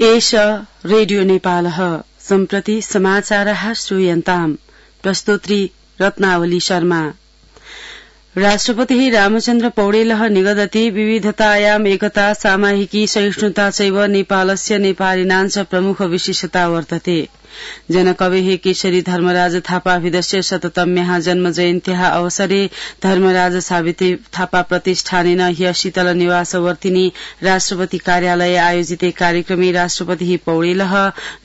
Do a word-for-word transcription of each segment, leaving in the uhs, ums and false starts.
एष रेडियो नेपालः सम्प्रति समाचारः श्रूयन्ताम् प्रस्तोत्री रत्नावली शर्मा। राष्ट्रपतिः रामचन्द्र पौडेलः निगदति विविधतायाम् एकता सामाहिकी सहिष्णुता चैव नेपालस्य नेपालिनाञ्च प्रमुख विशेषता वर्तते। जनकवेः केशरी धर्मराज थापाभिधस्य शततम्याः जन्म जयन्त्याः अवसरे धर्मराज सावित्री थापा प्रतिष्ठानेन ह्य शीतल निवासवर्तिनी राष्ट्रपति कार्यालये आयोजिते कार्यक्रमे राष्ट्रपतिः पौडेलः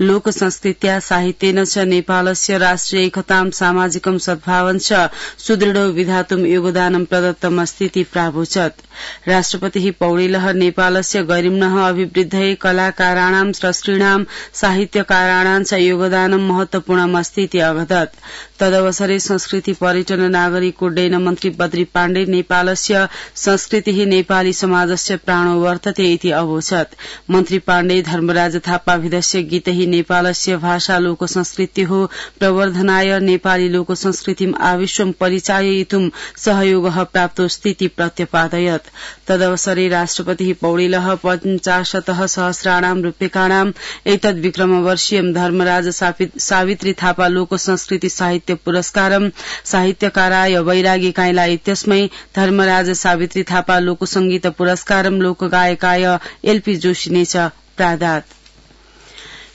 लोक संस्कृत्या साहित्येन च नेपालस्य राष्ट्रिय एकतां सामाजिकं सद्भावं च सुदृढो विधातुं योगदानं प्रदत्तमस्तीति प्रावोचत्। राष्ट्रपतिः पौडेलः नेपालस्य गरिम्नः अभिवृद्धये कलाकाराणां स्रष्टॄणां साहित्यकाराणां च योगदानं महत्वपूर्णमस्तीति अवदत्। तदवसरे संस्कृति पर्यटन नागरिक उड्डयन मन्त्री बद्री पाण्डे नेपालस्य संस्कृतिः नेपाली समाजस्य प्राणो वर्तते इति अवोचत्। मन्त्री पाण्डे धर्मराज थापाभिधस्य गीतैः नेपालस्य भाषा लोक संस्कृतिः प्रवर्धनाय नेपाली लोक संस्कृतिम् आविश्वं परिचाययितुं सहयोगः प्राप्तोऽस्तीति प्रत्यपादयत्। तदवसरे राष्ट्रपतिः पौडेलः पञ्चाशतः सहस्राणां रूप्यकाणां एतद् विक्रमवर्षीयं धर्मराज सावित्री थापा लोक संस्कृति साहित्य पुरस्कारं साहित्यकाराय वैरागी काइलाई इत्यस्मै धर्मराज सावित्री थापा लोक संगीत पुरस्कारं लोकगायकाय एलपी जोशिने च प्रादात्।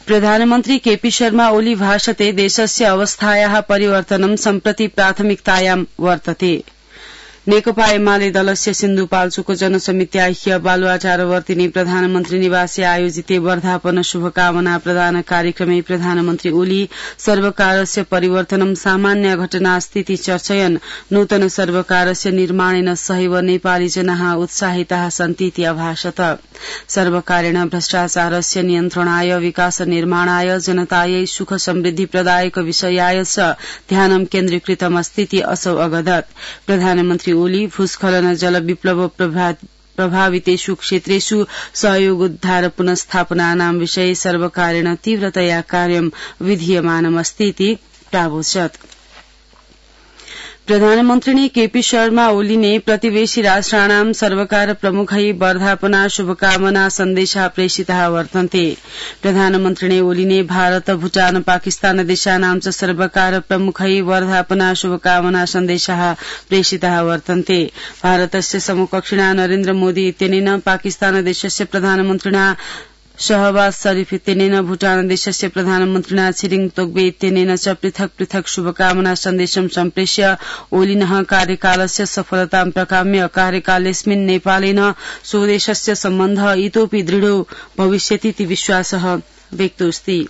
प्रधानमन्त्री केपी शर्मा ओली भाषते देशस्य अवस्थायाः परिवर्तनं सम्प्रति प्राथमिकतायां वर्तते। नेकपा एमाले दलस्य सिन्धुपाल्चोक जनसमित्या ह्य बालुवाचारवर्तिनी प्रधानमन्त्री निवासे आयोजिते वर्धापन शुभकामना प्रदान कार्यक्रमे प्रधानमन्त्री ओली सर्वकारस्य परिवर्तनं सामान्य घटनास्तीति चर्चयन् नूतन सर्वकारस्य निर्माणेन सहैव नेपाली जनाः उत्साहिताः सन्तीति अभाषत। सर्वकारेण भ्रष्टाचारस्य नियन्त्रणाय विकास निर्माणाय जनतायै सुख समृद्धि प्रदायक विषयाय च ध्यानं केन्द्रीकृतमस्तीति असौ अगदत्। प्रधानमन्त्री ओली भूस्खलन जल विप्लव प्रभावितेषु क्षेत्रेषु सहयोग उद्धार पुनस्थापनानां विषये सर्वकारेण तीव्रतया कार्यं विधीयमानमस्तीति प्रावोचत्। प्रधानमन्त्रिणे केपी शर्मा ओलीने प्रतिवेशी राष्ट्राणां सर्वकार प्रमुखै वर्धापना शुभकामना सन्देशा प्रेषिताः वर्तन्ते। प्रधानमन्त्रिणे ओलीने भारत भूटान पाकिस्तान देशानां च सर्वकार प्रमुखै वर्धापना शुभकामना सन्देशाः प्रेषिताः वर्तन्ते। भारतस्य समकक्षिणा नरेन्द्र मोदी इत्यनेन पाकिस्तान देशस्य प्रधानमन्त्रिणा शहबाज शरीफ इत्यनेन भूटान देशस्य प्रधानमन्त्रिणा छिरिङ तोग्बे इत्यनेन च पृथक पृथक शुभकामना सन्देशं सम्प्रेष्य ओलिनः कार्यकालस्य सफलतां प्रकाम्य कार्यकालेऽस्मिन् नेपालेन स्वदेशस्य सम्बन्धः इतोऽपि दृढो भविष्यतीति विश्वासः व्यक्तोऽस्ति।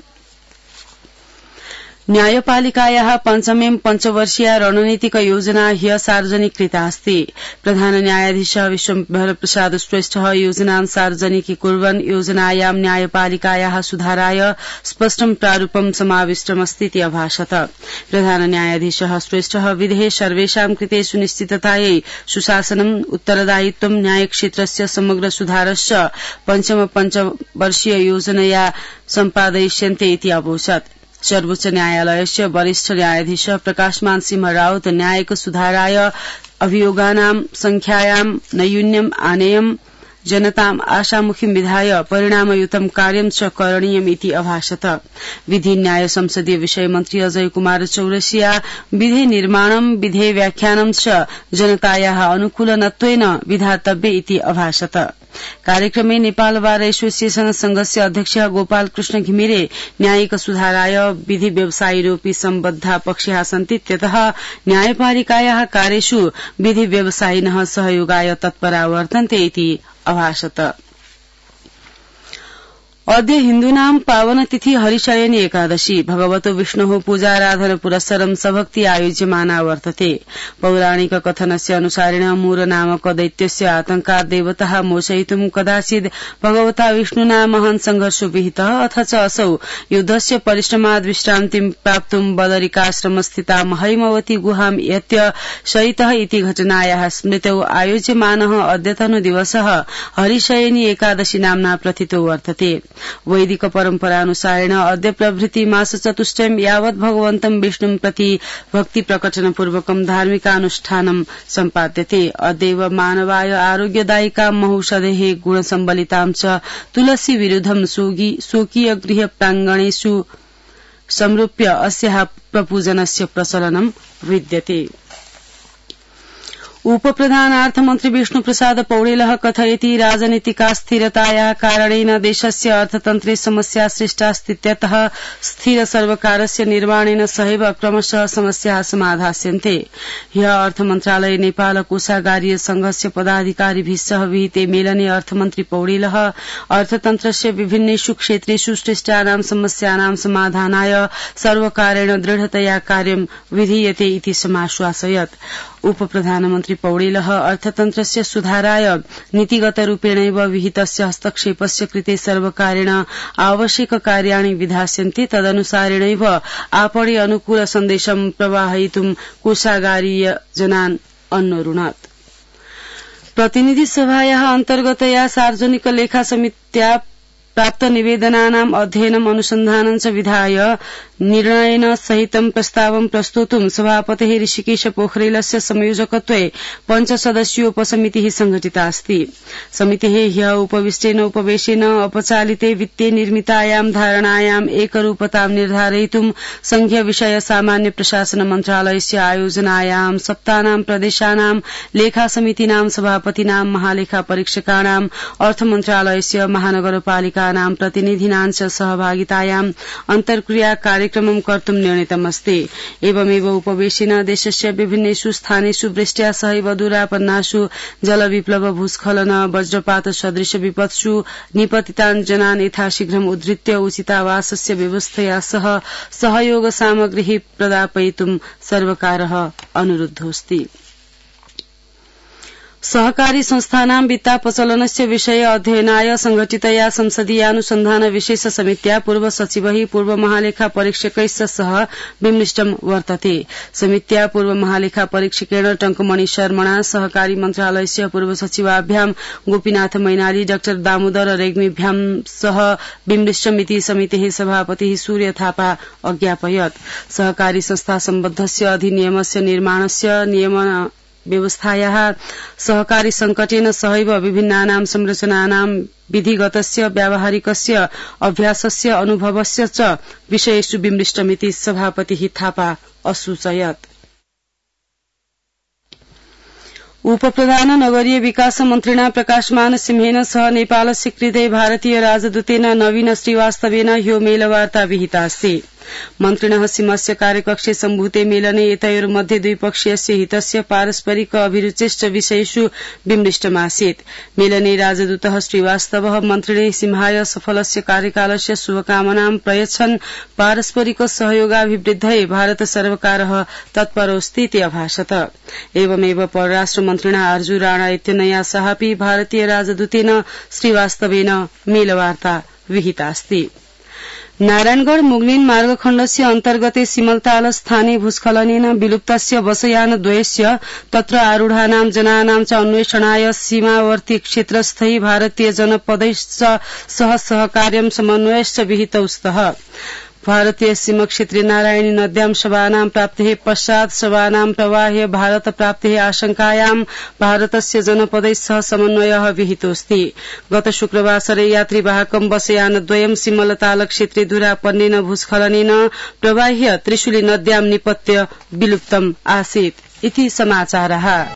न्यायपालिकायाः पञ्चमें पञ्चवर्षीया रणनीतिक योजना ह्य सार्वजनिक कृता अस्ति। प्रधान न्यायाधीशः विश्वम्भर प्रसाद श्रेष्ठः योजनां सार्वजनिकीकुर्वन् योजनायां न्यायपालिकायाः सुधाराय स्पष्टं प्रारूपं समाविष्टमस्तीति अभाषत। प्रधान न्यायाधीशः श्रेष्ठः विधेः सर्वेषां कृते सुनिश्चिततायै सुशासनम् उत्तरदायित्वं न्यायक्षेत्रस्य समग्र सुधारश्च पञ्चम पञ्चवर्षीय योजनया सम्पादयिष्यन्ते इति अवोचत्। सर्वोच्च न्यायालयस्य वरिष्ठ न्यायाधीश प्रकाशमान सिंह राउत न्यायिक सुधाराय अभियोगानां संख्यायां नैयून्यम् आनेयम् जनताम् आशामुखीं विधाय परिणामयुतं कार्यं च करणीयम् इति अभाषत। विधि न्याय संसदीय विषय मन्त्री अजय कुमार चौरसिया विधे निर्माणं विधे व्याख्यानं च जनतायाः अनुकूलनत्वेन विधातव्य इति अभाषत। कार्यक्रमे नेपाल बार एसोसिएशन संघस्य अध्यक्ष गोपाल कृष्ण घिमिरे न्यायिक सुधाराय विधि व्यवसायीरोपि सम्बद्धा पक्षाः सन्ति त्यतः न्यायपालिकायाः कार्येषु विधि व्यवसायिनः सहयोगाय तत्परा वर्तन्ते इति अभाषत। अद्य हिन्दूनां पावनतिथि हरिशयनी एकादशी भगवतो विष्णोः पूजाराधन पुरस्सरं सभक्ति आयोज्यमाना वर्तते। पौराणिक कथनस्य अनुसारेण मूर नामक दैत्यस्य आतंकात् देवताः मोचयितुं कदाचित् भगवता विष्णुना महान् संघर्षो विहितः अथ च असौ युद्धस्य परिश्रमात् विश्रान्तिं प्राप्तुं बदरिकाश्रमस्थितां हैमवती गुहां यत्य शयितः इति घटनायाः स्मृतौ आयोज्यमानः अद्यतनो दिवसः हरिशयनी एकादशी नाम्ना प्रथितो वर्तते। वैदिक परम्परानुसारेण अद्य प्रभृति मास चतुष्टयम् यावत् भगवन्तं विष्णुं प्रति भक्ति प्रकटनपूर्वकं धार्मिकानुष्ठानं सम्पाद्यते। अद्यैव मानवाय आरोग्यदायिकां महौषधेः गुणसम्बलितां च तुलसी विरुद्धं स्वकीय गृह प्राङ्गणेषु संरूप्य अस्याः प्रपूजनस्य प्रचलनं विद्यते। उपप्रधानार्थमन्त्री विष्णुप्रसाद पौडेलः कथयति राजनीतिकास्थिरतायाः कारणेन देशस्य अर्थतन्त्रे समस्या सृष्टास्तीत्यतः स्थिर सर्वकारस्य निर्माणेन सहैव क्रमशः समस्याः समाधास्यन्ते। ह्यः अर्थमन्त्रालये नेपाल कोषागारीय संघस्य पदाधिकारिभिः सह विहिते मेलने अर्थमन्त्री पौडेलः अर्थतन्त्रस्य विभिन्नेषु क्षेत्रेषु सृष्टानां समस्यानां समाधानाय सर्वकारेण दृढतया कार्यं विधीयते इति समाश्वासयत्। उपप्रधानमन्त्री पौडेलः अर्थतन्त्रस्य सुधाराय नीतिगतरूपेणैव विहितस्य हस्तक्षेपस्य कृते सर्वकारेण आवश्यक कार्याणि विधास्यन्ते तदनुसारेणैव आपणे अनुकूल सन्देशं प्रवाहयितुं कोषागारीय जनान् अन्वरुणत्। प्रतिनिधि सभायाः अन्तर्गतया सार्वजनिक लेखा समित्या प्राप्त निवेदनानाम् अध्ययनम् अनुसन्धानं च विधाय निर्णयेन सहितं प्रस्तावं प्रस्तोतुं सभापतेः ऋषिकेश पोखरेलस्य संयोजकत्वे पञ्चसदस्यीय उपसमितिः संघटिता अस्ति। समितेः ह्यः उपविष्टेन उपवेशेन अपचालिते वित्ते निर्मितायां धारणायाम् एकरूपतां निर्धारयितुं संघीय विषय सामान्य प्रशासन मन्त्रालयस्य आयोजनायां सप्तानां प्रदेशानां लेखा समितीनां सभापतीनां महालेखा परीक्षकाणां अर्थमन्त्रालयस्य महानगरपालिकानां प्रतिनिधीनां च सहभागितायां अन्तर्क्रिया कार्यक्रमं कर्तुं निर्णीतमस्ति। एवमेव उपवेशेन देशस्य विभिन्नेषु स्थानेषु वृष्ट्या सहैव दूरापन्नासु जलविप्लव भूस्खलन वज्रपात सदृश विपत्सु निपतितान् जनान् यथाशीघ्रम् उद्धृत्य उचितावासस्य व्यवस्थया सह सहयोग सामग्रीः प्रदापयितुं सर्वकारः अनुरुद्धोऽस्ति। सहकारी संस्थानां वित्तापचलनस्य विषये अध्ययनाय संघटितया संसदीयानुसन्धान विशेष समित्या पूर्व सचिवैः पूर्व महालेखा परीक्षकैश्च सह विमृष्टं वर्तते। समित्या पूर्व महालेखा परीक्षकेण टंकमणि शर्मणा सहकारी मन्त्रालयस्य पूर्व सचिवाभ्यां गोपीनाथ मैनाली डाक्टर दामोदर रेग्मीभ्यां सह विमृष्टमिति समितेः सभापतिः सूर्य थापा अज्ञापयत्। सहकारी संस्था सम्बद्धस्य अधिनियमस्य निर्माणस्य नियमन व्यवस्थायाः सहकारी संकटेन सहैव विभिन्नानां संरचनानां विधिगतस्य व्यावहारिकस्य अभ्यासस्य अनुभवस्य च विषयेषु विमृष्टमिति सभापतिः थापा असूचयत्। उपप्रधान नगरीय विकास मन्त्रिणा प्रकाशमान सिंहेन सह नेपालस्य कृते भारतीय राजदूतेन नवीन श्रीवास्तवेन ह्यो मेलवार्ता विहिता अस्ति। मन्त्रिणः सीमस्य कार्यकक्षे सम्भूते मेलने एतयोर्मध्ये द्विपक्षीयस्य हितस्य पारस्परिक अभिरुचेश्च विषयेषु विमृष्टमासीत्। मेलने राजदूतः श्रीवास्तवः मन्त्रिणे सिंहाय सफलस्य कार्यकालस्य शुभकामनां प्रयच्छन् पारस्परिक सहयोगाभिवृद्धये भारत सर्वकारः तत्परोऽस्ति इति अभाषत। एवमेव परराष्ट्र मन्त्रिणा अर्जु राणा इत्यनया सहापि भारतीय राजदूतेन श्रीवास्तवेन मेलवार्ता विहितास्ति। नारायणगढ़ मुगलिन मार्गखण्डस्य अन्तर्गते सिमलताल स्थाने भूस्खलनेन विलुप्तस्य बसयानद्वयस्य तत्र आरूढानां जनानां च अन्वेषणाय सीमावर्ती क्षेत्रस्थैः भारतीय जनपदैश्च सह सहकार्यं समन्वयश्च विहितौ स्तः। भारतीय सीमक्षेत्रे नारायणी नद्यां शवानां प्राप्तेः पश्चात् शवानां प्रवाहे भारत प्राप्तेः आशंकायां भारतस्य जनपदैः सह समन्वयः विहितोऽस्ति। गत शुक्रवासरे यात्रीवाहकं बसयानद्वयं सिमलताल क्षेत्रे धुरापन्नेन भूस्खलनेन प्रवाह्य त्रिशूली नद्यां निपत्य विलुप्तम् आसीत् इति समाचारः।